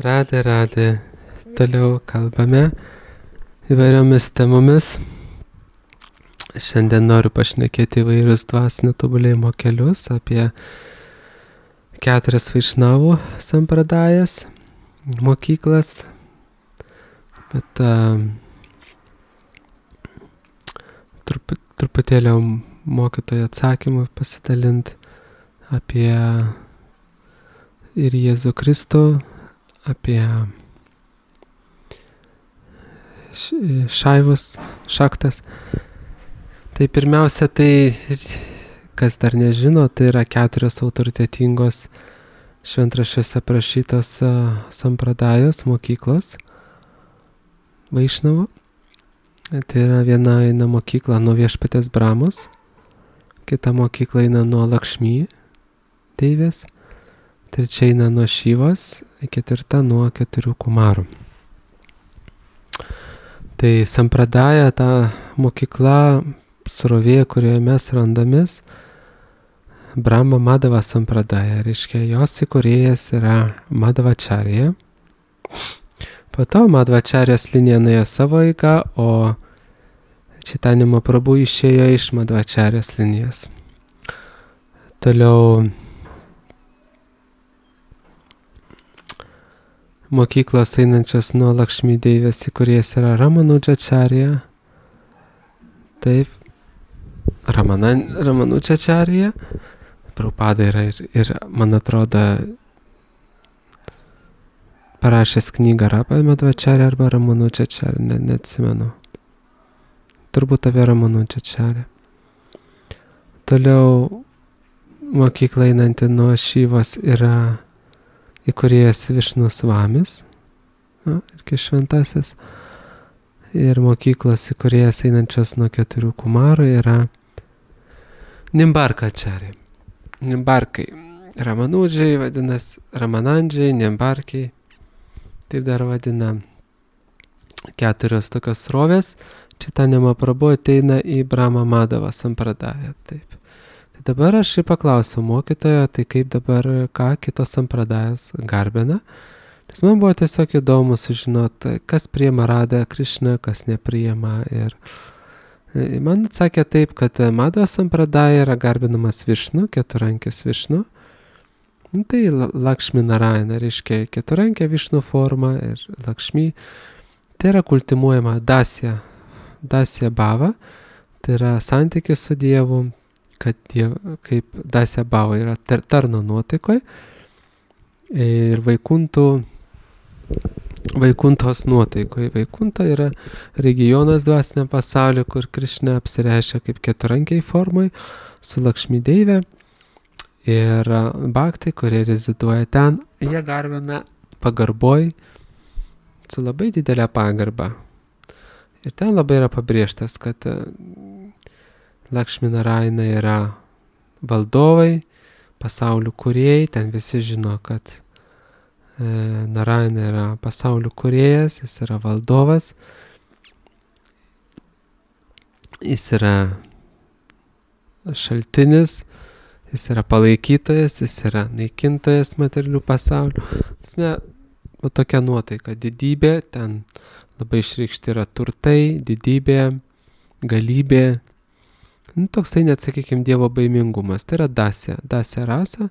Radė. Toliau kalbame įvairiomis temomis. Šiandien noriu pašnekėti įvairius dvasinio tobulėjimo kelius, apie 4 Vaišnavų sampradajas, mokyklas. Bet truputėlio mokytojo atsakymų pasidalinti apie ir Jėzų Kristų, apie šaktas. Tai pirmiausia, kas dar nežino, tai yra 4 autoritetingos šventraščiuose aprašytos sampradajos mokyklos Vaišnavų. Tai yra viena eina mokykla nuo Viešpaties Brahmos, kita mokykla eina nuo Lakšmi deivės, trečia eina nuo Šivos, ketvirta nuo 4 kumarų. Tai sampradaja, ta mokykla, srovė, kurioje mes randamės, Brahma Madhava sampradaja, reiškia, jos įkūrėjas yra Madhvacharya. Po to Madhvacharyos linija nuėjo savo eigą, o Chaitanya Mahaprabhu išėjo iš Madhvacharyos linijos. Toliau mokyklos einančios nuo Lakšmi deivės įkūrėjas yra Ramanujačarya. Taip, Ramanujačarya. Prabhupada yra ir, man atrodo, parašęs knygą apie Madhvacharya arba Ramanujačarya, neatsimenu. Turbūt apie Ramanujačarya. Toliau mokykla einanti nuo Šivos yra įkūrėjas Višnu Svamis, irgi šventasis. Ir mokyklos įkūrėjas einančios nuo 4 kumarų yra Nimbarkacharya. Nimbarkai. Ramanudžiai vadinasi Ramanandžiai, Nimbarkai. Taip dar vadina 4 tokios srovės. Chaitanya Mahaprabhu ateina į Brahma Madhava sampradają. Taip. Tai dabar aš paklausiau mokytojo, tai kaip dabar, ką kitos sampradajas garbina. Nes man buvo tiesiog įdomu sužinoti, kas priima Radha Krishna, kas nepriima. Ir man atsakė taip, kad Madhava sampradaja yra garbinamas Višnu, keturankis Višnu. Tai Lakšmi Narayana, reiškia keturankė Višnu forma ir Lakšmi. Tai yra kultivuojama Dasya Bhava, tai yra santykis su Dievu, kad kaip Dasya Bhava yra tarno nuotaikoje ir Vaikuntos nuotaikoje. Vaikunta yra regionas dvasiniam pasauliu, kur Krishna apsireiškia kaip keturankiai formai su Lakšmi deivė. Ir bhaktai, kurie reziduoja ten, jie garbina pagarboj su labai didelė pagarba. Ir ten labai yra pabrėžtas, kad Lakšmi Narayana yra valdovai, pasaulių kūrėjai, ten visi žino, kad Narayana yra pasaulių kūrėjas, jis yra valdovas, jis yra šaltinis, jis yra palaikytojas, jis yra naikintojas materialių pasaulių. Tokia nuotaika, didybė, ten labai išreikšti yra turtai, didybė, galybė. Toksai net, sakykime, Dievo baimingumas. Tai yra Dasya rasa,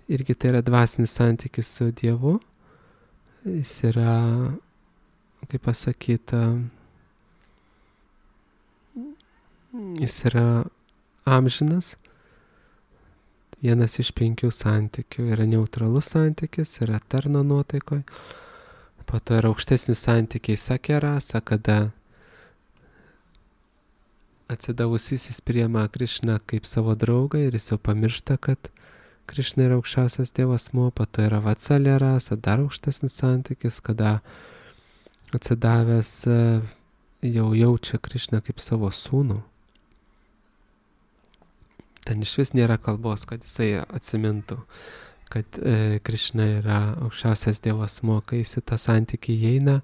irgi tai yra dvasinis santykis su Dievu. Jis yra, kaip pasakyta, jis yra amžinas. Vienas iš 5 santykių yra neutralus santykis, yra tarno nuotaikoje. Po to yra aukštesnis santykiai Sakya rasa, kada atsidavusysis priima Krishną kaip savo draugą ir jis jau pamiršta, kad Krishna yra aukščiausias Dievo asmuo. Po to yra Vatsalya rasa, dar aukštesnis santykis, kada atsidavęs jau jaučia Krishną kaip savo sūnų. Ten iš vis nėra kalbos, kad jisai atsimintų, kad Krishna yra aukščiausias Dievo asmuo. Kai jis į tą santykį įeina,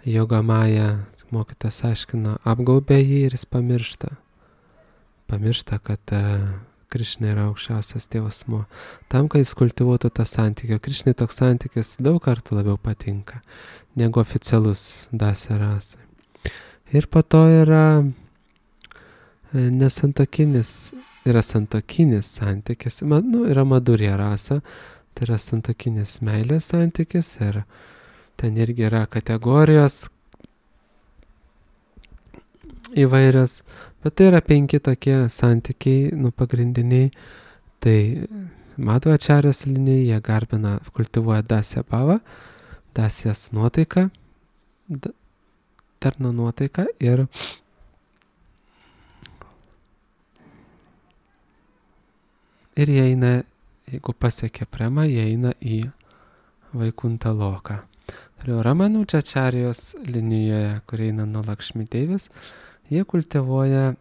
Jogamaya, mokytas aiškina, apgaubė jį ir jis pamiršta, kad Krišna yra aukščiausias Dievo asmuo. Tam, kad jis kultivuotų tą santykį. Krišnai toks santykis daug kartų labiau patinka negu oficialus Dasya rasai. Ir po to yra nesantokinis, yra santokinis santykis, yra Madhurya rasa, tai yra santokinis meilės santykis ir ten irgi yra kategorijos įvairios, bet tai yra 5 tokie santykiai, pagrindiniai. Tai Madhvačarijos linijai jie garbina, kultivuoja Dasya bhavą, Dasyas nuotaiką, darna nuotaiką ir jie eina, jeigu pasiekia premą, jie eina į Vaikunta loką. Toliau Ramanujačarijos linijoje, kur eina nuo Lakšmi Deivės, jie kultivuoja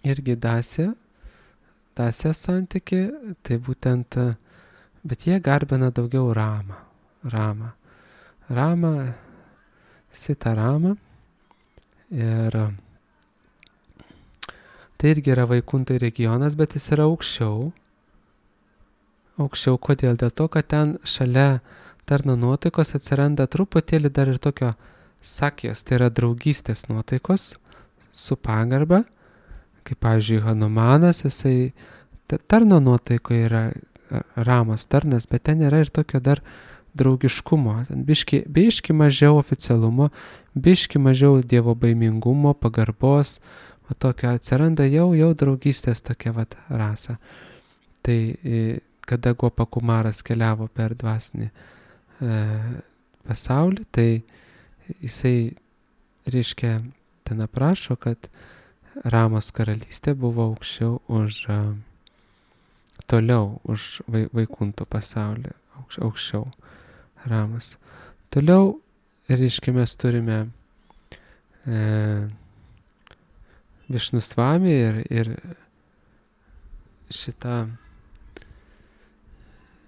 irgi Dasya santykį, tai būtent, bet jie garbina daugiau Ramą, Sita Ramą. Ir tai irgi yra Vaikuntai regionas, bet jis yra aukščiau. Kodėl? Dėl to, kad ten šalia darna nuotaikos atsiranda truputėlį dar ir tokio sakijos, tai yra draugystės nuotaikos su pagarba, kaip pavyzdžiui Hanumanas, jisai tarno nuotaikoje yra ramas tarnas, bet ten yra ir tokio dar draugiškumo, biški mažiau oficialumo, biški mažiau dievo baimingumo, pagarbos, o tokio atsiranda jau draugystės tokia rasa. Tai kada Gopakumaras keliavo per dvasinį pasaulį, tai jisai, reiškia, ten aprašo, kad Ramos karalystė buvo toliau už Vaikuntų pasaulį, aukščiau Ramos. Toliau, reiškia, mes turime Višnusvami ir šitą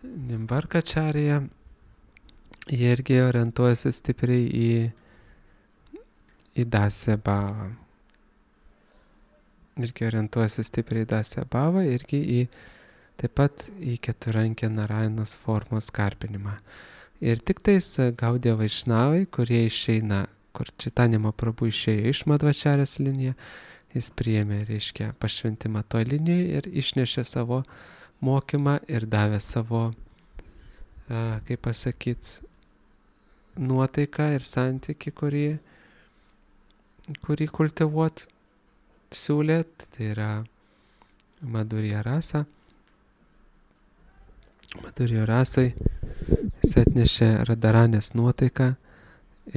Nimbarkačarija, jie irgi orientuojasi stipriai į Dasya bhavą. Irgi taip pat į keturrankę Narajanos formos garbinimą. Ir tik tais Gaudiya Vaišnavai, kurie išeina, kur Chaitanya Mahaprabhu išėjo iš Madhvačarijos liniją, jis priėmė, reiškia, pašventimą toj linijai ir išnešė savo mokymą ir davė savo, kaip pasakyti, nuotaiką ir santykį, kurį kultivuot siūlėt, tai yra Madhurya rasa. Madhurya rasai jis atnešė Radharanės nuotaiką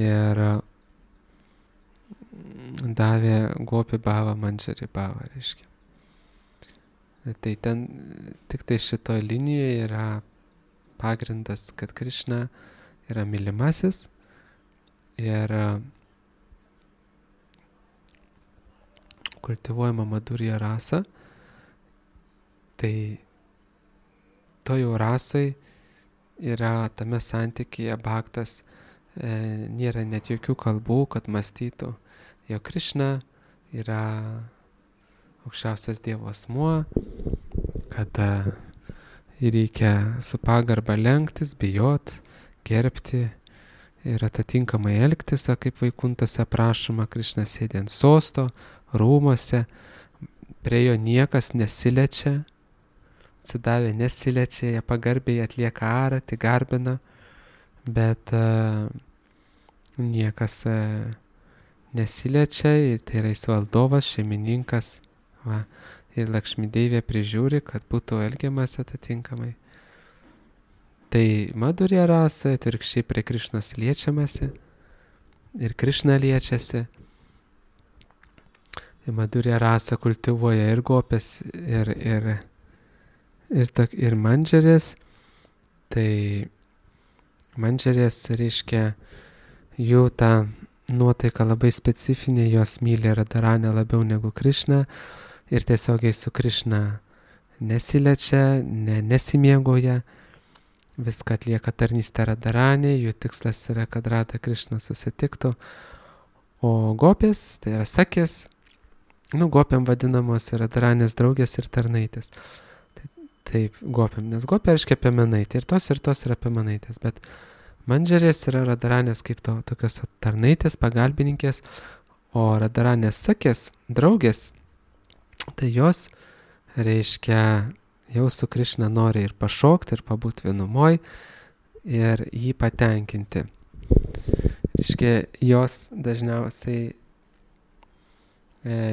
ir davė Gopi bhavą, Manjari bhavą, reiškia. Tai ten tik tai šitoj linijoje yra pagrindas, kad Krišna yra mylimasis ir kultivuojama Madhurya rasa, tai to jau rasai yra tame santykyje bhaktas, nėra net jokių kalbų, kad mąstytų, jog Krišna yra aukščiausias Dievo asmuo, kad reikia su pagarba lenktis, bijot, gerbti ir atitinkamai elgtis, kaip Vaikuntose prašoma, Krišna sėdi ant sosto, rūmuose, prie jo niekas nesiliečia, atsidavę nesiliečia, jie pagarbiai atlieka aratį, garbina, bet niekas nesiliečia ir tai yra jis valdovas, šeimininkas, ir Lakšmi Deivė prižiūri, kad būtų elgiamas atitinkamai. Tai Madhurya rasa atvirkščiai prie Krišnos liečiamasi ir Krišna liečiasi. Madhurya rasa kultivuoja ir gopės, ir mandžarės. Tai mandžarės reiškia jų tą nuotaiką labai specifinė, jos myli Radharanę labiau negu Krišną ir tiesiogiai su Krišna nesiliečia, nesimėgauja, viską atlieka tarnystę Radharanė, jų tikslas yra, kad Radha Krišna susitiktų. O gopės, tai yra sakės, gopėm vadinamos Radharanės draugės ir tarnaitės. Taip, gopim, nes gopė reiškia piemenaitė ir tos yra piemenaitės, bet mandžerės yra radaranės kaip tokios tarnaitės, pagalbininkės, o radaranės sakės, draugės, tai jos reiškia jau su Krišna nori ir pašokti, ir pabūti vienumoj, ir jį patenkinti. Reiškia, jos dažniausiai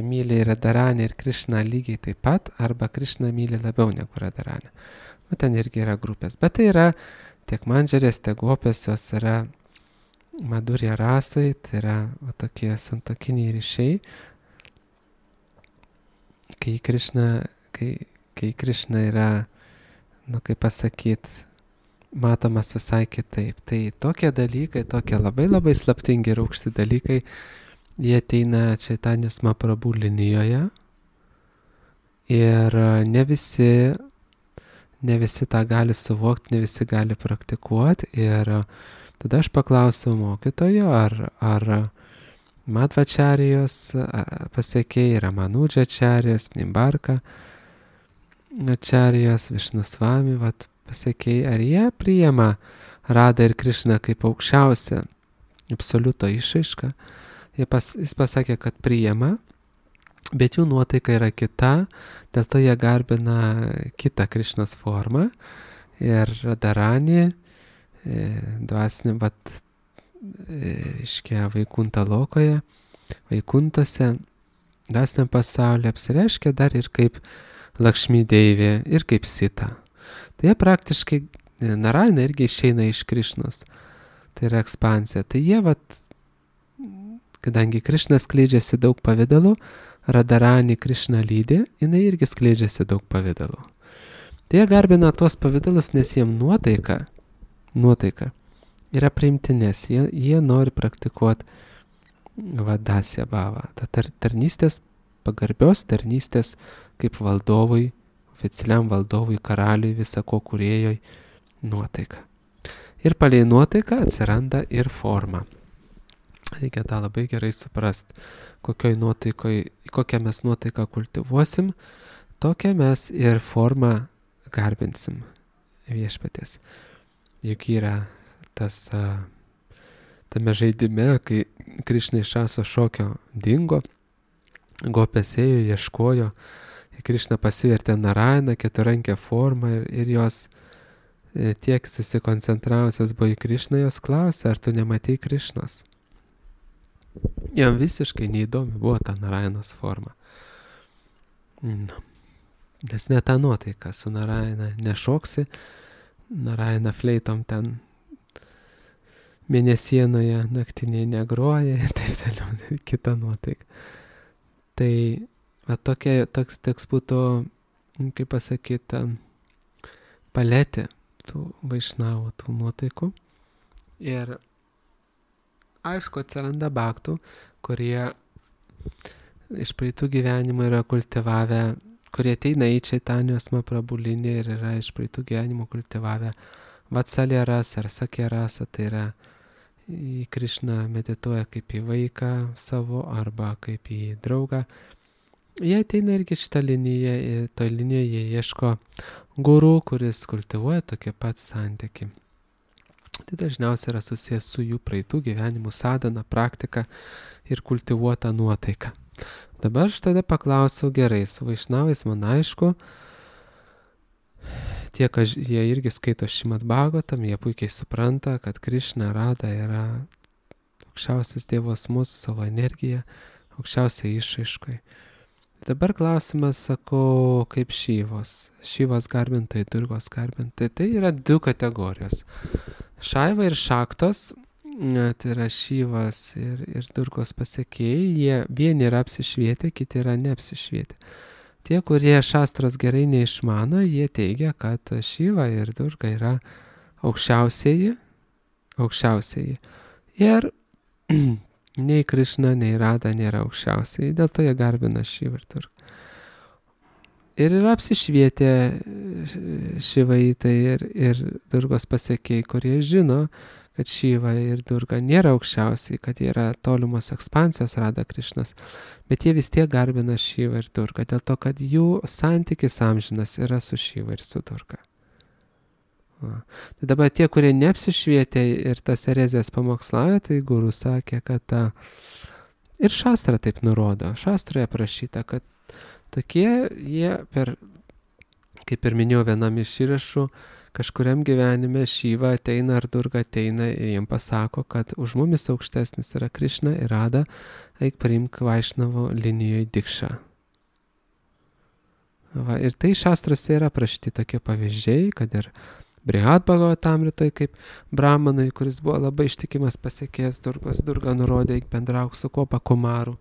myli Radharanę ir Krišną lygiai taip pat, arba Krišną myli labiau negu Radharanę. Ten irgi yra grupės. Bet tai yra tiek mandžerės, tiek gopės, jos yra Madhurya rasoj, tai yra tokie santokiniai ryšiai. Kai Krišna yra, kaip pasakyt, matomas visai kitaip. Tai tokie dalykai, tokie labai labai slaptingi ir aukšti dalykai, jie ateina Čaitanijos Mahaprabhu linijoje ir ne visi tą gali suvokti, ne visi gali praktikuoti. Ir tada aš paklausiau mokytojo, ar Madhvačarijos pasiekėjai, Ramanudžačarijos, Nimbarka Ačarijos, Višnusvami pasiekėjai, ar jie priima Radą ir Krišną kaip aukščiausią absoliuto išraišką. Jis pasakė, kad priima, bet jų nuotaika yra kita, dėl to jie garbina kitą Krišnos formą. Ir Radharani, dvasinė, reiškia, Vaikunta lokoje, Vaikuntose, dvasiniam pasaulyje apsireiškia dar ir kaip Lakšmi Deivė, ir kaip Sita. Tai jie praktiškai, Narayana irgi išeina iš Krišnos. Tai yra ekspansija. Tai jie, kadangi Krišna skleidžiasi daug pavidalų, Radharani Krišna lydi, jinai irgi skleidžiasi daug pavidalų. Tai jie garbina tuos pavidalus, nes jiem nuotaika yra priimtinės. Jie nori praktikuoti Dasya bhavą. Ta tarnystės, pagarbios tarnystės kaip valdovui, oficialiam valdovui, karaliui, visako kūrėjoj nuotaika. Ir palei nuotaiką atsiranda ir forma. Reikia tą labai gerai suprasti, kokią mes nuotaiką kultivuosim, tokią mes ir formą garbinsim viešpaties. Juk yra tame žaidime, kai Krišna iš Aso šokio dingo, gopės ėjo, ieškojo, Krišna pasivertė Narayaną, keturrankę formą ir jos tiek susikoncentravusios buvo į Krišną, jos klausė, ar tu nematei Krišnos? Jam visiškai neįdomi buvo ta Narayanos forma. Nes ne ta nuotaika, su Narayana nešoksi, Narayana fleitom ten mėnesienoje naktinėje negroja, taip toliau, kita nuotaika. Tai toks būtų, kaip pasakyti, paletė tų vaišnavų, tų nuotaikų. Ir aišku, atsiranda bhaktų, kurie iš praeitų gyvenimų yra kultivavę, kurie ateina į Čaitanijos Mahaprabhu liniją ir yra iš praeitų gyvenimų kultivavę Vatsalya rasą ar Sakya rasą, tai yra į Krišną medituoja kaip į vaiką savo arba kaip į draugą. Jie ateina irgi šitą liniją, toj linijoje jie ieško guru, kuris kultivuoja tokį pat santykį. Tai dažniausiai yra susijęs su jų praeitų gyvenimų sadhana, praktika ir kultivuota nuotaika. Dabar aš tada paklausiau, gerai, su vaišnavais man aišku, jie irgi skaito Šrimad Bhagavatam, jie puikiai supranta, kad Krišna Rada yra aukščiausias Dievas mūsų savo energiją, aukščiausiai išraiškai. Dabar klausimas, sakau, kaip Šivos garbintojai, Durgos garbintojai, tai yra 2 kategorijos. Šaiva ir Šaktos, tai yra Šivas ir Durgos pasiekėjai, jie vieni yra apsišvietę, kiti yra neapsišvietę. Tie, kurie šastros gerai neišmano, jie teigia, kad Šiva ir Durga yra aukščiausieji. Ir nei Krišna, nei Rada nėra aukščiausiai, dėl to jie garbina Šivą ir Durgą. Ir yra apsišvietę Šivaitai ir Durgos pasiekėjai, kurie žino, kad Šiva ir Durga nėra aukščiausiai, kad jie yra tolimos ekspansijos Radha Krišnas, bet jie vis tiek garbina Šivą ir Durgą, dėl to, kad jų santykis amžinas yra su Šiva ir su Durga. Va. Tai dabar tie, kurie neapsišvietė ir tas erezijas pamokslauja, tai guru sakė, kad ir šastra taip nurodo. Šastroje aprašyta, kad tokie jie kaip ir minėjau vienam iš įrašų, kažkuriam gyvenime Šiva ateina ar Durga ateina ir jiem pasako, kad už mumis aukštesnis yra Krišna ir Radha, eik priimk Vaišnavo linijoje dikšą. Va, ir tai šastrose yra aprašyti tokie pavyzdžiai, kad ir Brihad Bhagavatamritoj kaip Brahmanui, kuris buvo labai ištikimas pasiekėjas Durgos, Durga nurodė, eik bendrauk su Kopa Kumaru,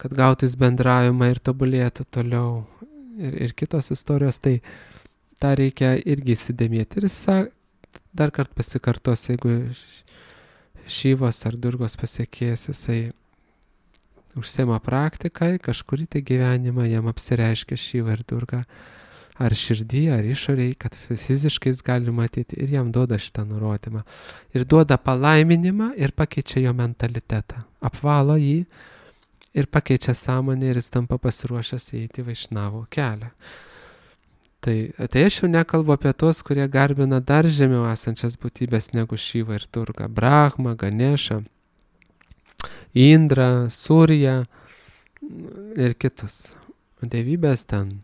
kad gautų jis bendravimą ir tobulėtų toliau. Ir kitos istorijos, tai tą reikia irgi įsidėmėti. Ir jis dar kartą pasikartos, jeigu Šivos ar Durgos pasiekėjas, jisai užsiema praktikai, kažkurį tai gyvenimą jam apsireiškia Šiva ir Durga, ar širdį, ar išoriai, kad fiziškai jis gali matyti ir jam duoda šitą nurodymą. Ir duoda palaiminimą ir pakeičia jo mentalitetą, apvalo jį, ir pakeičia sąmonę ir jis tampa pasiruošęs eiti Vaišnavo kelią. Tai aš jau nekalbu apie tos, kurie garbina dar žemiau esančias būtybės negu Šiva ir Durga. Brahma, Ganesha, Indra, Surya ir kitus. Dievybės ten.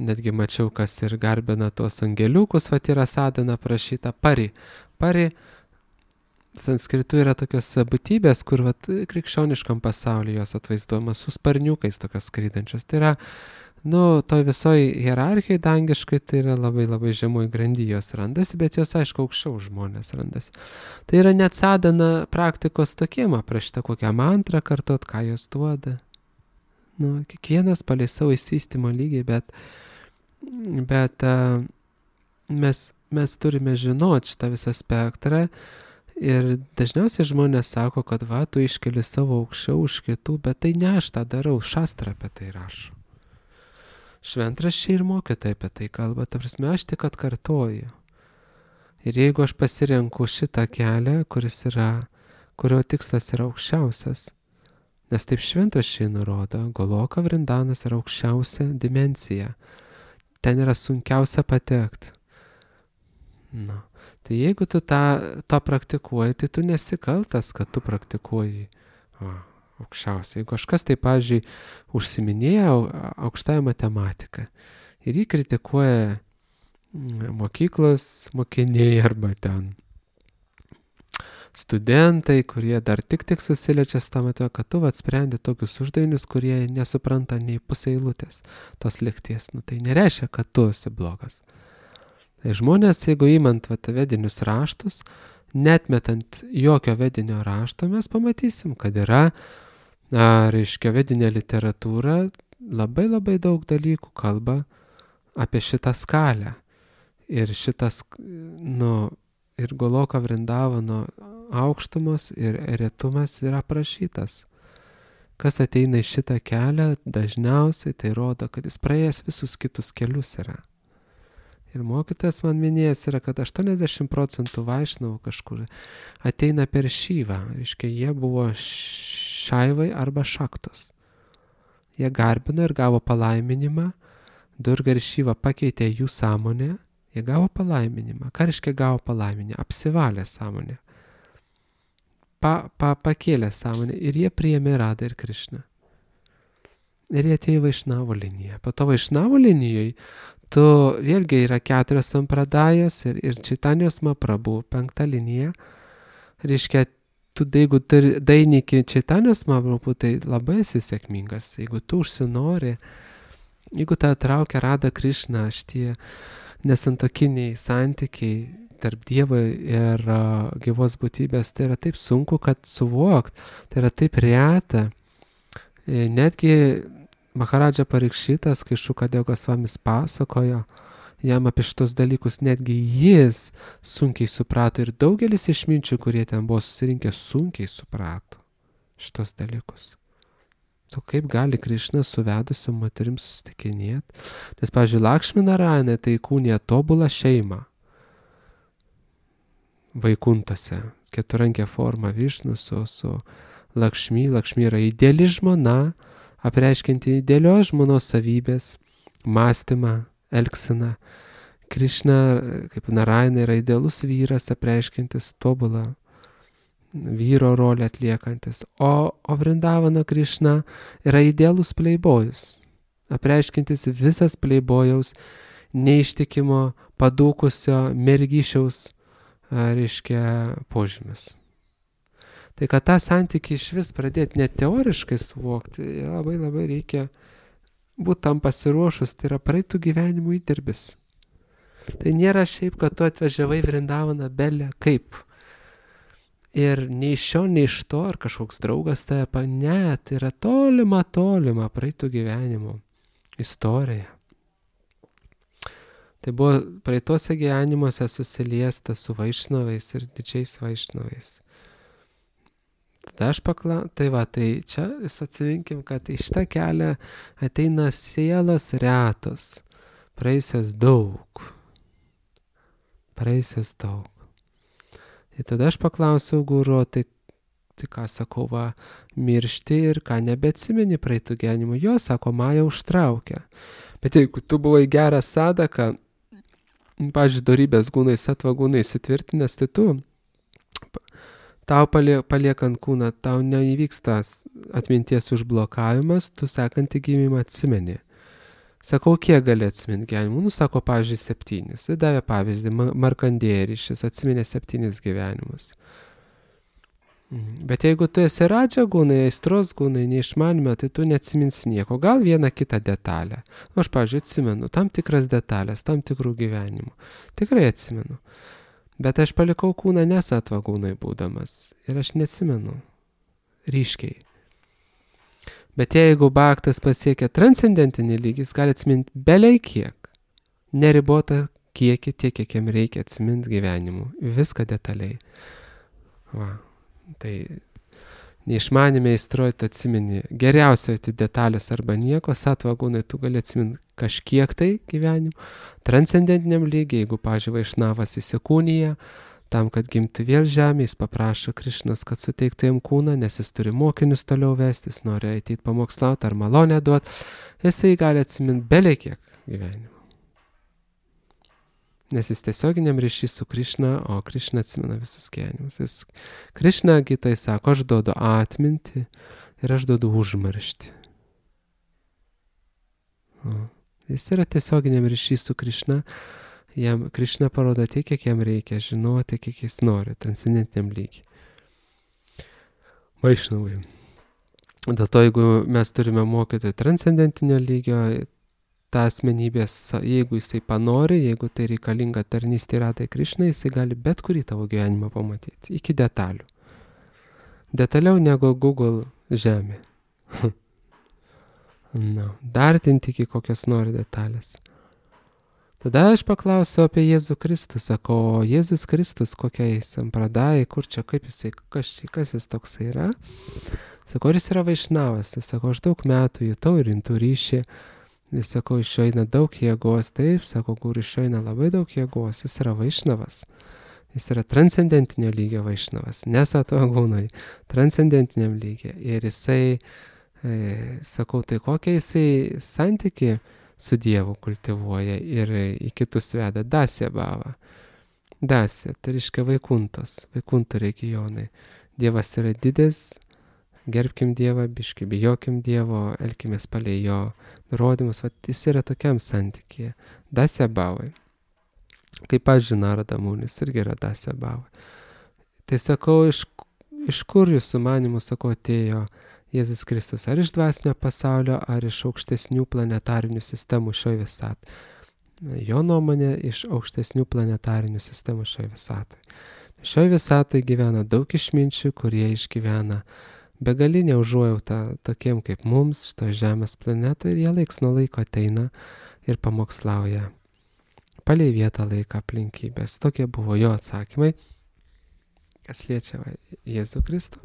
Netgi mačiau, kas ir garbina tuos angeliukus, vat yra sadhana prašyta Pari. Pari sanskritu yra tokios būtybės, kur krikščioniškam pasaulyje jos atvaizduojamas su sparniukais tokios skraidančios. Tai yra, toj visoj hierarchijai dangiškai tai yra labai labai žemoj grandy jos randasi, bet jos aišku aukščiau žmonės randasi. Tai yra net sadhana praktikos tokiem aprašyta, kokią mantrą kartot, ką jos duoda. Kiekvienas palei savo įsistymo lygiai, bet mes turime žinoti šitą visą spektrą. Ir dažniausiai žmonės sako, kad tu iškeli savo aukščiau už kitų, bet tai ne aš tą darau, šastra apie tai rašo. Šventraščiai ir mokytojai apie tai kalba, ta prasme, aš tik atkartoju. Ir jeigu aš pasirenku šitą kelią, kurio tikslas yra aukščiausias, nes taip šventraščiai nurodo, Goloka Vrindanas yra aukščiausia dimensija, ten yra sunkiausia patekti. Tai jeigu tu tą praktikuoji, tai tu nesikaltas, kad tu praktikuoji aukščiausiai. Jeigu kažkas tai, pavyzdžiui, užsiminėja aukštąją matematiką ir jį kritikuoja mokyklos mokiniai arba ten studentai, kurie dar tik susiliečia su tą matematika, kad tu sprendi tokius uždavinius, kurie nesupranta nei pusę eilutės tos lygties. Tai nereiškia, kad tu esi blogas. Tai žmonės, jeigu įmant vedinius raštus, netmetant jokio vedinio rašto, mes pamatysim, kad yra, vedinė literatūra labai labai daug dalykų kalba apie šitą skalę. Ir ir Goloka Vrindavano aukštumos ir retumas yra aprašytas. Kas ateina į šitą kelią, dažniausiai tai rodo, kad jis praėjęs visus kitus kelius yra. Ir mokytojas man minėjęs yra, kad 80% vaišnavų kažkur ateina per Šivą. Reiškia, jie buvo šaivai arba šaktos. Jie garbino ir gavo palaiminimą. Durga ir Šiva pakeitė jų sąmonę. Jie gavo palaiminimą. Ką reiškia gavo palaiminimą? Apsivalė sąmonę. Pakėlė sąmonę. Ir jie priėmė Radha ir Krišną. Ir jie atėjo į Vaišnavo liniją. Po to Vaišnavo linijoje vėlgi yra 4 sampradajos ir Čaitanijos Mahaprabhu 5 linija. Reiškia, jeigu dainiki Čaitanijos Mahaprabhu, tai labai esi sėkmingas. Jeigu tu užsinori, jeigu tą traukia Radha Krišna, šitie nesantokiniai santykiai tarp Dievo ir gyvos būtybės, tai yra taip sunku, kad suvokt, tai yra taip reta. Netgi Maharadža Parikšitas, kai Šukadeva Gosvamis pasakojo jam apie šitos dalykus, netgi jis sunkiai suprato ir daugelis išminčių, kurie ten buvo susirinkę, sunkiai suprato šitos dalykus. Kaip gali Krišna su vedusiom moterim susitikinėti? Nes, pavyzdžiui, Lakšmi Narayana tai įkūnija tobulą šeimą. Vaikuntose. Keturankė forma Višnu su Lakšmi. Lakšmi yra ideali žmona, apreiškianti idealios žmonos savybės, mąstymą, elgseną. Krišna, kaip Narayana, yra idealus vyras, apreiškiantis tobulą vyro rolę atliekantis. O Vrindavano Krišna yra idealus pleibojus, apreiškiantis visas pleibojaus neištikimo, padūkusio, mergyšiaus, reiškia, požymis. Tai kad tą santykį iš vis pradėti net teoriškai suvokti, labai labai reikia būti tam pasiruošus, tai yra praeitų gyvenimų įdirbis. Tai nėra šiaip, kad tu atvažiavai Vrindavaną belę kaip. Ir nei iš šio, nei iš to, ar kažkoks draugas tave ne, tai yra tolima praeitų gyvenimų istorija. Tai buvo praeitose gyvenimuose susiliesta su vaišnavais ir didžiais vaišnavais. Tada aš tai čia jūs atsiminkim, kad į šitą kelią ateina sielos retos, praėjusios daug. Ir tada aš paklausiau guru, tai ką sakau, miršti ir ką nebeatsimeni praeitų gyvenimų. Jo, sako, Maja užtraukia. Bet jeigu tu buvai geras sadaka, pavyzdžiui, dorybės gūnai, satva gūnai įsitvirtinęs, tai tau paliekant kūną, tau neįvyksta atminties užblokavimas, tu sekantį gimimą atsimeni. Sakau, kiek gali atsiminti gyvenimų? Sako, pavyzdžiui, 7. Tai davė pavyzdį, Markandėrišis atsiminė 7 gyvenimus. Bet jeigu tu esi radža gūnai, aistros gūnai, neišmanime, tai tu neatsiminsi nieko. Gal vieną kitą detalę. Aš, pavyzdžiui, atsimenu tam tikras detalės, tam tikrų gyvenimų. Tikrai atsimenu. Bet aš palikau kūną nesatva gūnai būdamas. Ir aš neatsimenu. Ryškiai. Bet jeigu bhaktas pasiekia transcendentinį lygį, jis gali atsiminti beliai kiek. Neribotą kiekį, tiek, kiek jam reikia atsiminti gyvenimų. Viską detaliai. Tai neišmanime įstrojti atsimeni geriausiai detalės arba nieko, satva gūnai tu gali atsiminti kažkiek tai gyvenimų. Transcendentiniam lygiai, jeigu, pavyzdžiui, vaišnavas įsikūnyja, tam, kad gimtų vėl žemė, jis paprašo Krišnos, kad suteiktų jam kūną, nes jis turi mokinius toliau vesti, jis nori ateiti pamokslauti ar malonę duoti, jisai gali atsiminti beliai kiek gyvenimų. Nes jis tiesioginiam ryšį su Krišna, o Krišna atsimena visus gyvenimus. Krišna gitai sako, aš duodu atmintį ir aš duodu užmarštį. Jis yra tiesioginiam ryšį su Krišna. Jam Krišna parodo tiek, kiek jam reikia žinoti, kiek jis nori, transcendentiniam lygiai. Vaišnavai. Dėl to, jeigu mes turime mokyti transcendentinio lygio, ta asmenybės, jeigu jisai panori, jeigu tai reikalinga tarnystė ratai Krišnai, jisai gali bet kurį tavo gyvenimą pamatyti, iki detalių. Detaliau negu Google žemė. Dartinti iki kokios nori detalės. Tada aš paklausiau apie Jėzų Kristų, sako, Jėzus Kristus kokiai sampradai, kur čia, kaip jisai, kas jis toksai yra. Sako, ar jis yra vaišnavas, tai sako, aš daug metų jutau ir rimtų ryšį. Jis sako, iš jo eina daug jėgos, taip, sako, kur iš jo eina labai daug jėgos, jis yra vaišnavas. Jis yra transcendentinio lygio vaišnavas, nesatva gūnai, transcendentiniam lygio. Ir jisai, sakau, tai kokią jisai santykį su Dievu kultivuoja ir į kitus veda Dasya bhava. Dasya, tai reiškia Vaikunto regionai. Dievas yra didis, gerbkim Dievą, biški bijokim Dievo, elkimės palei jo nurodymus. Jis yra tokiam santykyje. Dasya bhavai. Kaip pavyzdžiui, Narada Munis irgi yra Dasya bhavai. Tai sakau, iš kur jūsų manimų, sakau, atėjo Jėzus Kristus, ar iš dvasinio pasaulio, ar iš aukštesnių planetarinių sistemų šioje visatoje. Jo nuomonė, iš aukštesnių planetarinių sistemų šioje visatoje. Šioje visatoje gyvena daug išminčių, kurie išgyvena begalinę užuojautą tokiem kaip mums, šito Žemės planetoje, ir jie laiks nuo laiko ateina ir pamokslauja palei vietą laiką aplinkybės. Tokie buvo jo atsakymai, kas liečia Jėzų Kristų.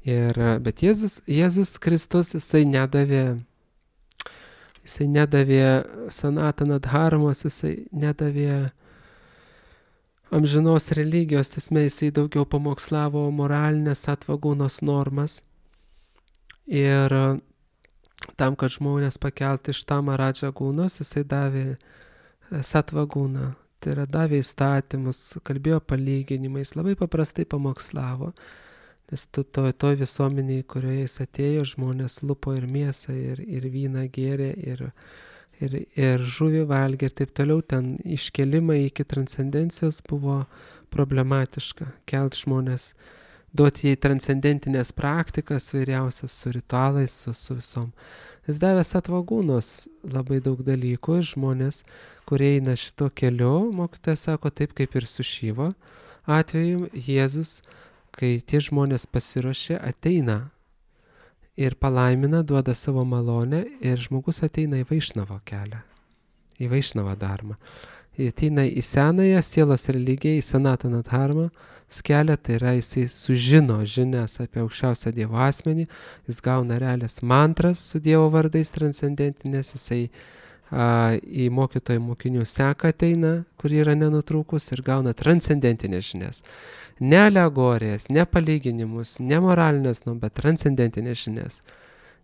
Bet Jėzus Kristus, jisai nedavė sanatana dharmos, jisai nedavė amžinos religijos, tasme jisai daugiau pamokslavo moralinės Satvagūnos normas. Ir tam, kad žmonės pakelti iš Tamaradžagūnos, jisai davė Satvagūną. Tai yra davė įstatymus, kalbėjo palyginimais, labai paprastai pamokslavo. Nes toj visuomeniai, kurioje jis atėjo, žmonės lupo ir mėsą, ir vyną gėrė, ir žuvį valgė ir taip toliau. Ten iškelimai iki transcendencijos buvo problematiška. Kelt žmonės, duoti jai transcendentinės praktikas vairiausias su ritualais, su visom. Jis davė Satvagūnos labai daug dalykų ir žmonės, kurie eina šito keliu, mokytojas sako, taip kaip ir su Šyvo atveju, Jėzus, kai tie žmonės pasiruošia, ateina ir palaimina, duoda savo malonę ir žmogus ateina į Vaišnavo kelią, į Vaišnavo dharmą. Ateina į senąją sielos religiją, į Sanatana dharmą kelią, tai yra jisai sužino žinias apie aukščiausią Dievo asmenį, jis gauna realias mantras su Dievo vardais transcendentinės, jisai į mokytojų mokinių seką ateina, kur yra nenutrūkus ir gauna transcendentinės žinias. Ne alegorijas, ne palyginimus, ne moralinės, bet transcendentinės žinias.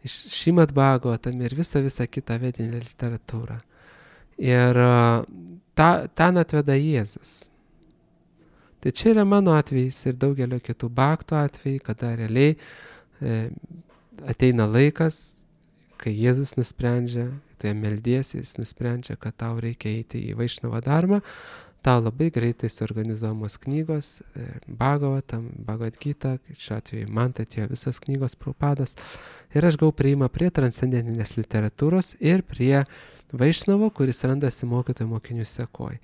Iš Šrimad Bhagavatam ir visą kitą vedinę literatūrą. Ir ten atveda Jėzus. Tai čia yra mano atvejis ir daugelio kitų bhaktų atvejai, kada realiai ateina laikas, kai Jėzus nusprendžia, tai meldiesi, jis nusprendžia, kad tau reikia eiti į Vaišnavo dharmą, tau labai greitai suorganizuojamos knygos, Bhagavatam, Bhagavad Gita, šiuo atveju man tai atėjo visos knygos Prabhupadas, ir aš gavau priėjimą prie transcendentinės literatūros ir prie Vaišnavo, kuris randasi mokytojų mokinių sekoj.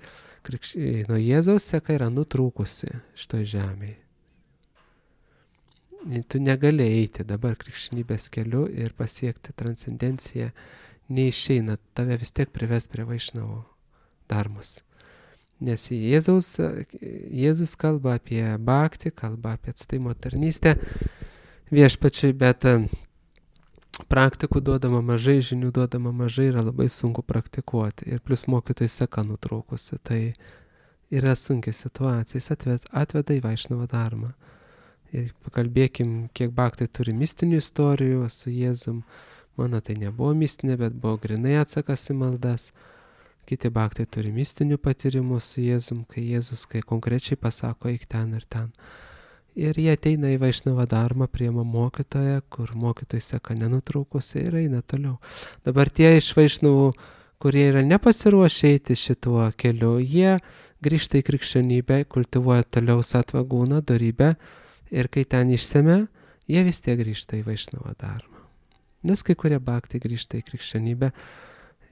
Nuo Jėzaus seka yra nutrūkusi šitoj žemėje. Tu negali eiti dabar krikščionybės keliu ir pasiekti transcendenciją, neišeina, tave vis tiek prives prie Vaišnavo dharmos. Nes Jėzus kalba apie bhaktį, kalba apie atsidavimo tarnystę viešpačiui, bet praktikų duodama mažai, žinių duodama mažai, yra labai sunku praktikuoti. Ir plus mokytojai seka nutrūkusi, tai yra sunkia situacija, jis atveda į Vaišnavo dharmą. Ir pakalbėkim, kiek bhaktai turi mistinių istorijų su Jėzum. Mano tai nebuvo mistinė, bet buvo grinai atsakas į maldas. Kiti bhaktai turi mistinių patyrimų su Jėzum, kai Jėzus konkrečiai pasako, eik ten ir ten. Ir jie ateina į Vaišnavo dharmą, priima mokytoją, kur mokytojai seka nenutrūkusi ir eina toliau. Dabar tie iš Vaišnavų, kurie yra nepasiruošę eiti šituo keliu, jie grįžta į krikščionybę, kultivuoja toliau Satvagūną, dorybę, ir kai ten išsemia, jie vis tiek grįžta į Vaišnavo dharmą. Nes kai kurie bhaktai grįžta į krikščionybę,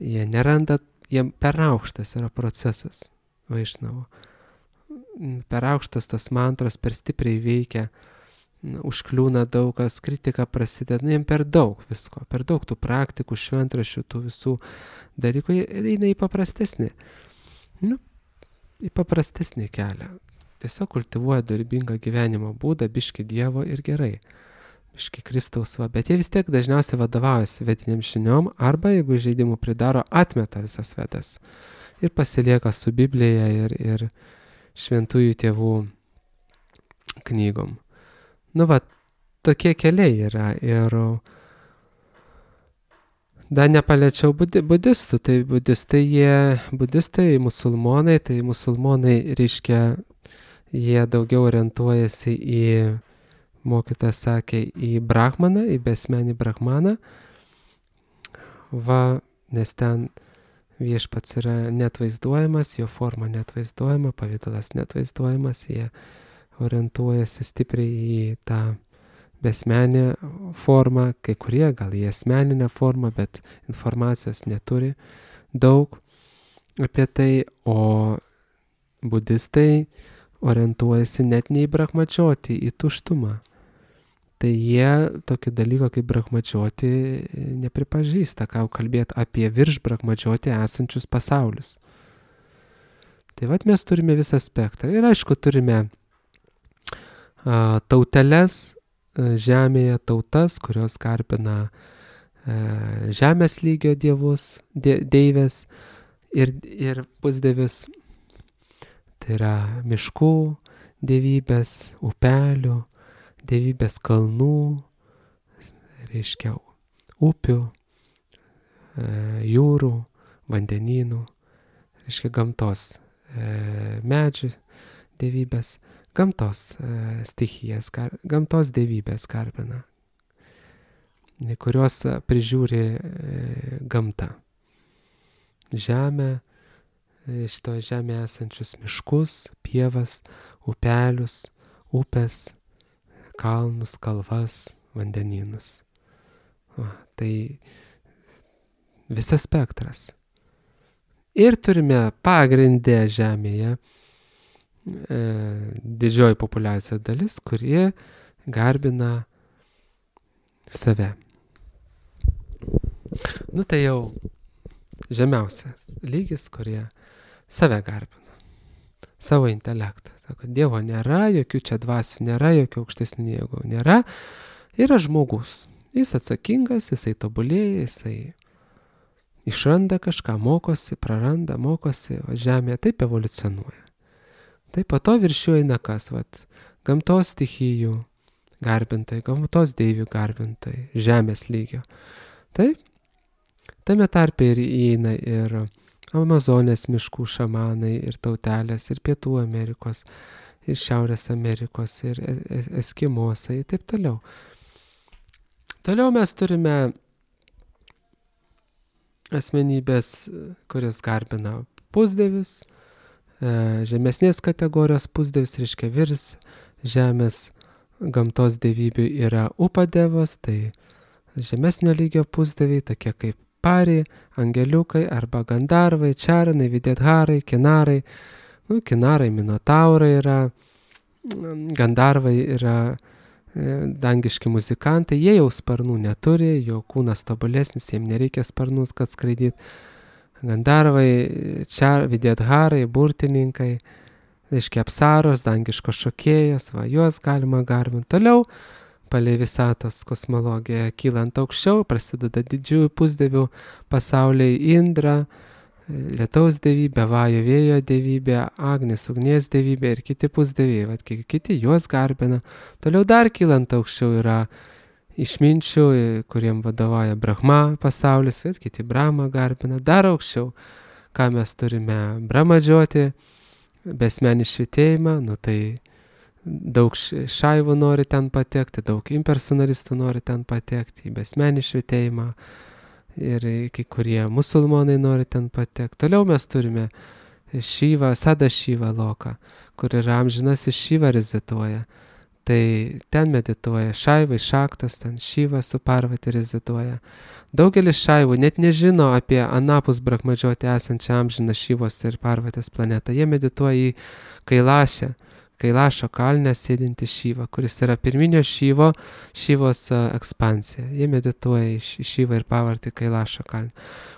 jie neranda, jiem per aukštas yra procesas Vaišnavo. Per aukštas tos mantros, per stipriai veikia, užkliūna daug kas, kritika prasideda, jiem per daug visko, per daug tų praktikų, šventraščių, tų visų dalykų, jie eina į paprastesnį, į paprastesnį kelią. Tiesiog kultivuoja dorybingą gyvenimo būdą, biški Dievo ir gerai, biški Kristaus va, bet jie vis tiek dažniausiai vadovaujasi vediniam žiniom, arba jeigu žaidimų pridaro, atmeta visas vedas ir pasilieka su Biblija ir šventųjų tėvų knygom. Tokie keliai yra. Ir dar nepaliečiau budistų. Tai budistai, musulmonai, tai musulmonai reiškia, jie daugiau orientuojasi į, mokytojas sakė, į brahmaną, į besmenį brahmaną. Nes ten viešpats yra neatvaizduojamas, jo forma neatvaizduojama, pavidalas neatvaizduojamas, jie orientuojasi stipriai į tą besmenę formą, kai kurie gal į asmeninę formą, bet informacijos neturi daug apie tai, o budistai orientuojasi net ne į brahmačiotį, į tuštumą. Tai jie tokį dalyką kaip brahmačioti nepripažįsta, ką kalbėti apie virš brahmačioti esančius pasaulius. Tai mes turime visą spektrą. Ir aišku, turime tauteles žemėje, tautas, kurios garbina žemės lygio dievus, deivės ir pusdievius. Tai yra miškų dievybės, upelių, dievybės kalnų, reiškia upių, jūrų, vandenynų, reiškia gamtos medžių dievybės, gamtos stichijas, gamtos dievybės garbina, kurios prižiūri gamtą. Žemę, šitoje žemėje esančius miškus, pievas, upelius, upės, kalnus, kalvas, vandenynus. Tai visas spektras. Ir turime pagrindę žemėje didžioji populiacija dalis, kurie garbina save. Tai jau žemiausias lygis, kurie save garbina, savo intelektą. Sako, Dievo nėra, jokių čia dvasių nėra, jokių aukštesnių jėgų nėra. Yra žmogus. Jis atsakingas, jisai tobulėja, jisai išranda kažką, mokosi, praranda, mokosi, žemėje taip evoliucionuoja. Tai po to viršiu eina kas, gamtos stichijų garbintai, gamtos deivių garbintai, žemės lygio. Taip, tame tarpe ir įeina ir Amazonės miškų šamanai, ir tautelės, ir Pietų Amerikos, ir Šiaurės Amerikos, ir eskimosai, ir taip toliau. Toliau mes turime asmenybės, kuris garbina pusdievius, žemesnės kategorijos pusdievis, reiškia virs žemės gamtos dievybių yra upadevas, tai žemesnio lygio pusdieviai, tokie kaip pari, angeliukai arba gandarvai, čaranai, videtharai, kinarai. Kinarai minotaurai yra, gandarvai yra dangiški muzikantai, jie jau sparnų neturi, jo kūnas tobulesnis, jiems nereikia sparnus, kad skraidyt. Gandarvai, videtharai, burtininkai, reiškia apsaros, dangiškos šokėjos, juos galima garbinti. Toliau, palei visatos kosmologiją kylant aukščiau, prasideda didžiųjų pusdievių pasauliai Indra, lietaus dievybė, vajų vėjo dievybė, Agnis, ugnies dievybė ir kiti pusdieviai, kiti juos garbina. Toliau dar kylant aukščiau yra išminčių, kuriem vadovauja Brahma pasaulis, kiti Brahma garbina. Dar aukščiau, ką mes turime, Brahmadžioti, besmenį švitėjimą, tai daug šaivų nori ten patekti, daug impersonalistų nori ten patekti, į besmenį švitėjimą ir kai kurie musulmonai nori ten patekti. Toliau mes turime Šyvą, Sada Šyvą loką, kur yra amžinasis Šyva reziduoja. Tai ten medituoja šaivai, šaktos, ten Šyva su Parvati reziduoja. Daugelis šaivų net nežino apie anapus Brahmadžioti esančią amžiną Šyvos ir Parvatės planetą. Jie medituoja į Kailašo kalne sėdinti Šyvą, kuris yra pirminio Šyvos ekspansija. Jie medituoja į Šyvą ir Parvatį Kailašo kalne.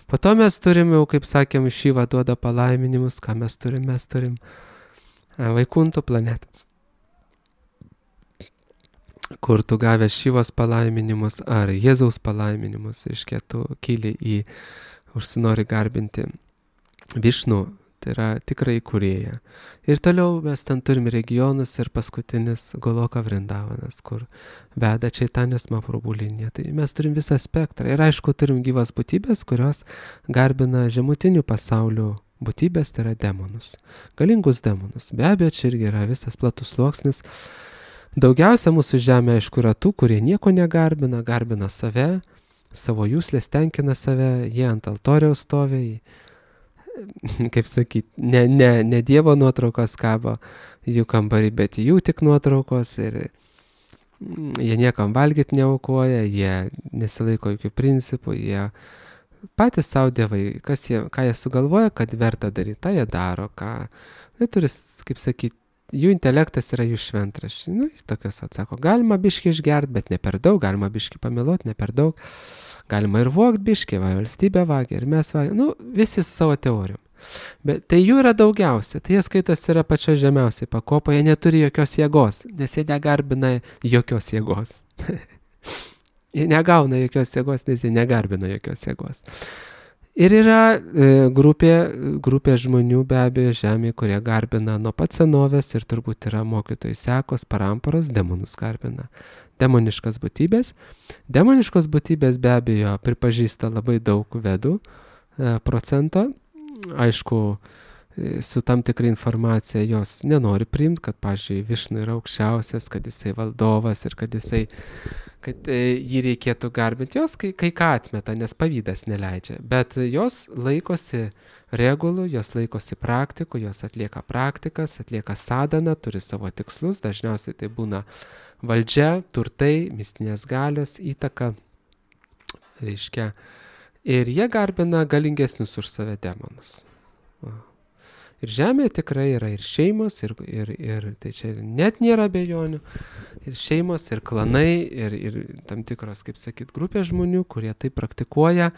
Po to mes turim, jau kaip sakėm, Šyva duoda palaiminimus. Ką mes turim? Mes turim Vaikuntų planetas, kur tu gavęs Šyvos palaiminimus ar Jėzaus palaiminimus, reiškia, tu kyli užsinori garbinti Višnų, tai yra tikrai kūrėja. Ir toliau mes ten turim regionus ir paskutinis Goloka Vrindavanas, kur veda Čaitanijos Mahaprabhu linija. Tai mes turim visą spektrą. Ir aišku, turim gyvas būtybės, kurios garbina žemutinių pasaulių būtybės, tai yra demonus. Galingus demonus. Be abejo, čia irgi yra visas platus sluoksnis. Daugiausia mūsų žemė, aišku, yra tų, kurie nieko negarbina, garbina save, savo jūslės tenkina save, jie ant altoriaus stovi, kaip sakyti, ne Dievo nuotraukos kabo jų kambarį, bet jų tik nuotraukos ir jie niekam valgyti neaukoja, jie nesilaiko jokių principų, jie patys savo dievai, ką jie sugalvoja, kad verta daryti, tą jie daro, jie turi, kaip sakyti, jų intelektas yra jų šventraščiai. Tokios atsako, galima biškį išgerti, bet ne per daug, galima biškį pamiloti, ne per daug. Galima ir vogt biškį, valstybė vagia, ir mes vagia, visi su savo teorijom. Bet tai jų yra daugiausia, tai jie skaitos yra pačioje žemiausiai pakopoje, jie neturi jokios jėgos, nes jie negarbina jokios jėgos. Jie negauna jokios jėgos, nes jie negarbina jokios jėgos. Ir yra grupė žmonių be abejo žemėje, kurie garbina nuo pat senovės ir turbūt yra mokytojai sekos, paramparos, demonus garbina. Demoniškas būtybės. Demoniškos būtybės be abejo pripažįsta labai daug vedų procento. Aišku, su tam tikra informacija jos nenori priimti, kad, pavyzdžiui, Višnu yra aukščiausias, kad jisai valdovas ir kad jį reikėtų garbinti. Jos kai ką atmeta, nes pavydas neleidžia. Bet jos laikosi regulų, jos laikosi praktikų, jos atlieka praktikas, atlieka sadaną, turi savo tikslus. Dažniausiai tai būna valdžia, turtai, mistinės galios, įtaka. Reiškia. Ir jie garbina galingesnius už save demonus. Ir žemėje tikrai yra ir šeimos, ir tai čia net nėra abejonių, ir šeimos, ir klanai, ir tam tikros, kaip sakyt, grupės žmonių, kurie tai praktikuoja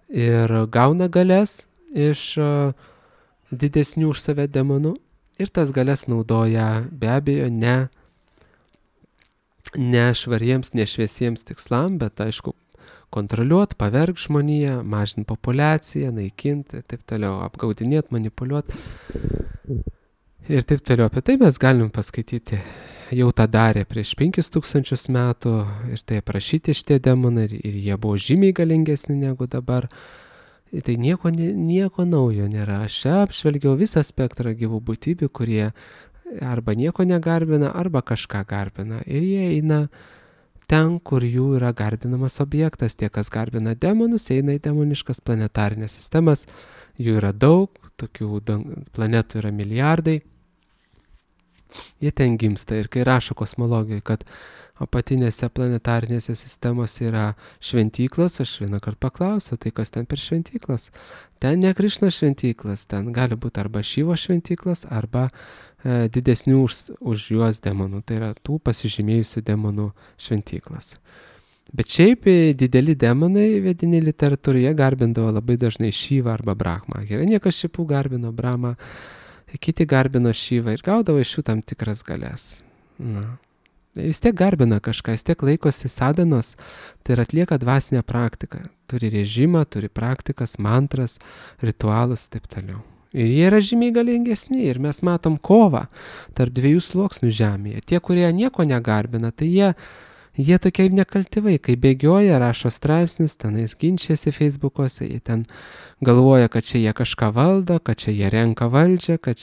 ir gauna galės iš didesnių už save demonų, ir tas galės naudoja be abejo ne švariems, nešviesiems tikslam, bet aišku, kontroliuoti, pavergti žmoniją, mažinti populiaciją, naikinti ir taip toliau, apgaudinėti, manipuliuoti ir taip toliau. Apie tai mes galim paskaityti, jau tą darė prieš 5000 metų ir tai aprašyti šitie demonai ir jie buvo žymiai galingesni negu dabar. Tai nieko naujo nėra. Aš apžvelgiau visą spektrą gyvų būtybių, kurie arba nieko negarbina, arba kažką garbina. Ir jie eina ten, kur jų yra garbinamas objektas. Tie, kas garbina demonus, eina į demoniškas planetarinės sistemas. Jų yra daug, tokių planetų yra milijardai. Jie ten gimsta. Ir kai rašo kosmologijoje, kad apatinėse planetarinėse sistemose yra šventyklos, aš vieną kartą paklausiau, tai kas ten per šventyklos? Ten ne Krišna šventyklos, ten gali būti arba Šyvo šventyklos, arba didesnių už juos demonų, tai yra tų pasižymėjusių demonų šventyklas. Bet šiaip dideli demonai vedini literatūroje garbindavo labai dažnai Šyvą arba Brahmą. Hiranyakšipų garbino Brahmą, kiti garbino Šyvą ir gaudavo iš jų tam tikras galės. Vis tiek garbina kažką, vis tiek laikosi sadanos, tai ir atlieka dvasinę praktiką. Turi režimą, turi praktikas, mantras, ritualus ir taip toliau. Ir jie yra žymiai galingesni ir mes matom kovą tarp dviejų sluoksnių žemėje. Tie, kurie nieko negarbina, tai jie tokie nekalti vaikai, bėgioja, rašo straipsnius, tenais ginčiasi Facebook'ose, jie ten galvoja, kad čia jie kažką valdo, kad čia jie renka valdžią, kad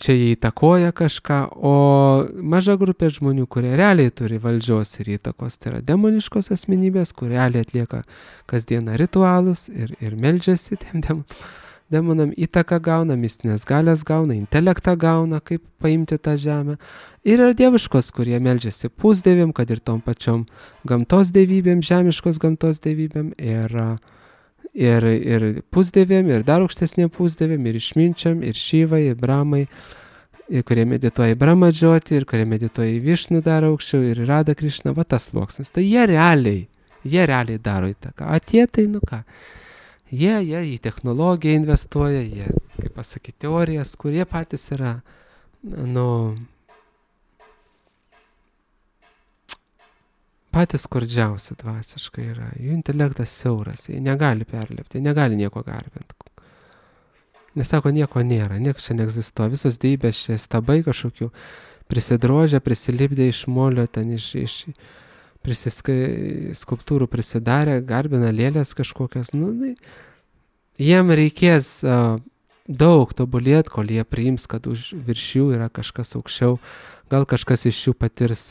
čia jie įtakoja kažką, o maža grupė žmonių, kurie realiai turi valdžios ir įtakos, tai yra demoniškos asmenybės, kurie realiai atlieka kasdieną ritualus ir meldžiasi tiem demonam, įtaką gauna, mistinės galės gauna, intelektą gauna, kaip paimti tą žemę. Ir yra dieviškos, kurie meldžiasi pusdievėm, kad ir tom pačiom gamtos dievybėm, žemiškos gamtos dievybėm ir pusdievėm, ir dar aukštesnėm pusdievėm, ir išminčiam, ir Šyvai, ir Brahmai, ir kurie medituoja į Brahmadžoti, ir kurie medituoja į Višnu dar aukščiau, ir Radha Krišna, va tas sluoksnis. Tai jie realiai daro įtaką. O tie tai, jie į technologiją investuoja, jie, kaip pasakyti, teorijas, kurie patys yra, patys skurdžiausi dvasiškai yra. Jų intelektas siauras, jie negali perlipti, jie negali nieko garbinti. Nes sako, nieko nėra, niekas čia neegzistuoja. Visos dievybės čia stabai kažkokių prisidrožę, prisilipdė iš molio, ten iš skulptūrų prisidarė, garbina lėlės kažkokias. Jiem reikės daug tobulėti, kol jie priims, kad virš jų yra kažkas aukščiau. Gal kažkas iš jų patirs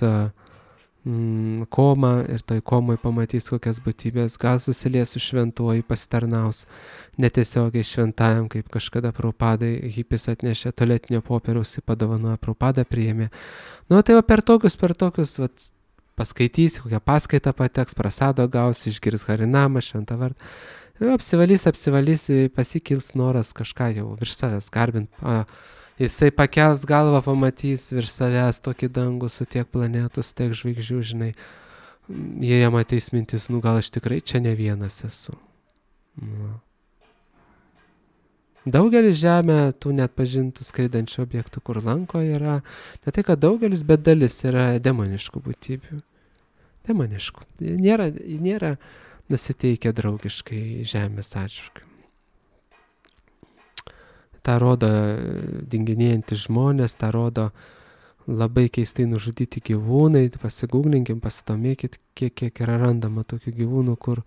komą ir toj komoj pamatys kokias būtybės, gal susilies su šventuoju, pasitarnaus netiesiogiai šventajam, kaip kažkada Prabhupadai hipis atnešė tualetinio popieriaus, padovanojo, Prabhupada priėmė. Tai va per tokius paskaitys, kokią paskaitą pateks, prasado gaus, išgirs harinamą, šventą vardą. Apsivalys, pasikils noras kažką jau virš savęs garbint. Jisai pakels galvą, pamatys virš savęs tokį dangų su tiek planetų, su tiek žvaigždžių, žinai. Jie jam ateis mintis, gal aš tikrai čia ne vienas esu. Daugelis žemė tų net pažintų skraidančių objektų, kur lanko yra, ne tai, kad daugelis, bet dalis yra demoniškų būtybių. Demoniškų. Nėra nusiteikę draugiškai žemės atžvilgiu. Ta rodo dinginėjantys žmonės, ta rodo labai keistai nužudyti gyvūnai, pasigūglinkim, pasidomėkit, kiek yra randama tokių gyvūnų, kur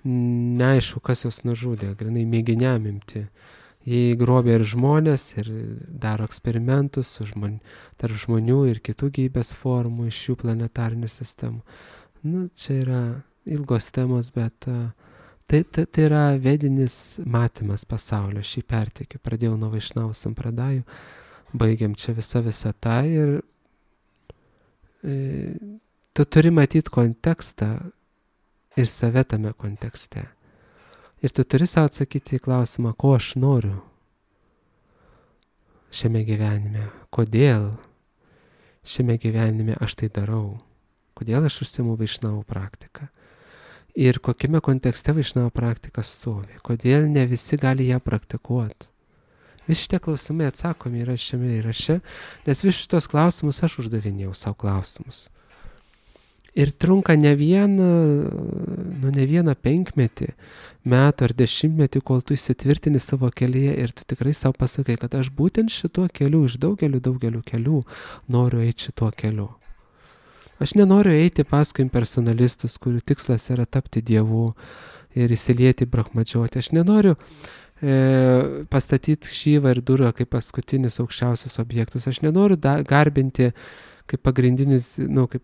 neaišku, kas juos nužudė, grinai mėginiam imti. Jie grobė ir žmonės, ir daro eksperimentus tarp žmonių ir kitų gyvybės formų iš šių planetarinių sistemų. Čia yra ilgos temos, bet tai yra vedinis matymas pasaulio, šį perteikiu. Pradėjau nuo Vaišnavų sampradajų, baigiam čia visą tą ir tu turi matyti kontekstą ir save tame kontekste. Ir tu turi savo atsakyti į klausimą, ko aš noriu šiame gyvenime, kodėl šiame gyvenime aš tai darau, kodėl aš užsiimu Vaišnavų praktiką ir kokiame kontekste Vaišnavų praktika stovi, kodėl ne visi gali ją praktikuoti. Visi šitie klausimai atsakomi yra šiame įraše, nes visus šitos klausimus aš uždavinėjau savo klausimus. Ir trunka ne vieną penkmetį, metų ar dešimtmetį, kol tu įsitvirtini savo kelyje ir tu tikrai savo pasakai, kad aš būtent šituo keliu, iš daugelių kelių noriu eiti šituo keliu. Aš nenoriu eiti paskui impersonalistus, kurių tikslas yra tapti dievu ir įsilieti brahmadžioti. Aš nenoriu pastatyti Šyvą ir Durgą kaip paskutinius aukščiausius objektus. Aš nenoriu garbinti kaip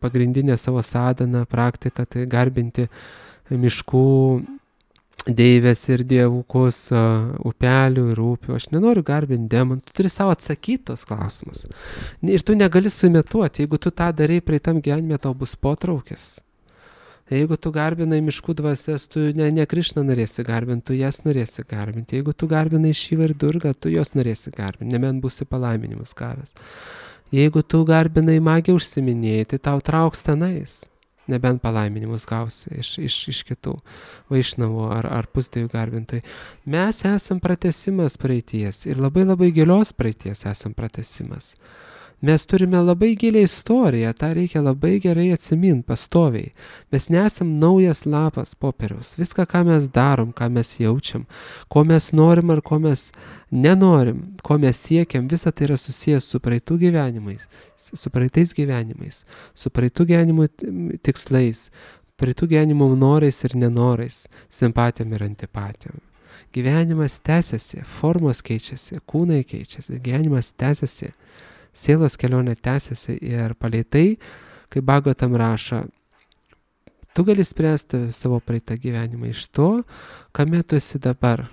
pagrindinę savo sadhaną praktiką, tai garbinti miškų deivės ir dievukus, upelių ir upių. Aš nenoriu garbinti demonų. Tu turi savo atsakyti tos klausimus. Ir tu negali suimituoti. Jeigu tu tą darai praeitam gyvenime, tau bus potraukis. Jeigu tu garbinai miškų dvasias, tu ne Krišną norėsi garbinti, tu jas norėsi garbinti. Jeigu tu garbinai Šyvą ir Durgą, tu jos norėsi garbinti, nebent būsi palaiminimus gavęs. Jeigu tu garbinai magiją užsiminėjai, tai tau trauks tenais, nebent palaiminimus gausi iš kitų Vaišnavų ar pusdievių garbintojų. Mes esam pratęsimas praeities ir labai gilios praeities esam pratęsimas. Mes turime labai gilią istoriją, tą reikia labai gerai atsiminti pastoviai. Mes nesam naujas lapas popieriaus. Viską, ką mes darom, ką mes jaučiam, ko mes norim ar ko mes nenorim, ko mes siekiam, visa tai yra susijęs su praeitų gyvenimais, su praeitais gyvenimais, su praeitų gyvenimų tikslais, praeitų gyvenimų norais ir nenorais, simpatijom ir antipatijom. Gyvenimas tęsiasi, formos keičiasi, kūnai keičiasi, gyvenimas tęsiasi. Sielos kelionė tęsiasi ir palei tai, kaip Bhagavatam rašo, tu gali spręsti savo praeitą gyvenimą iš to, kame tu esi dabar.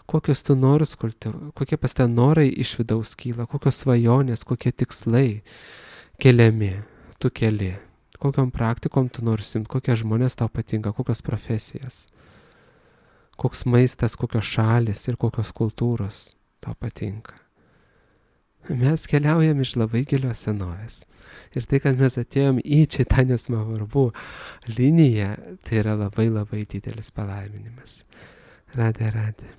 Kokios tu norus kultivuoji, kokie pas ten norai iš vidaus kyla, kokios svajonės, kokie tikslai keliami, tu keli. Kokiom praktikom tu nori simti, kokie žmonės tau patinka, kokios profesijas, koks maistas, kokios šalis ir kokios kultūros tau patinka. Mes keliaujam iš labai gilios senovės. Ir tai, kad mes atėjom į Čaitanjos Mahaprabhu liniją, tai yra labai didelis palaiminimas. Radhe Radhe.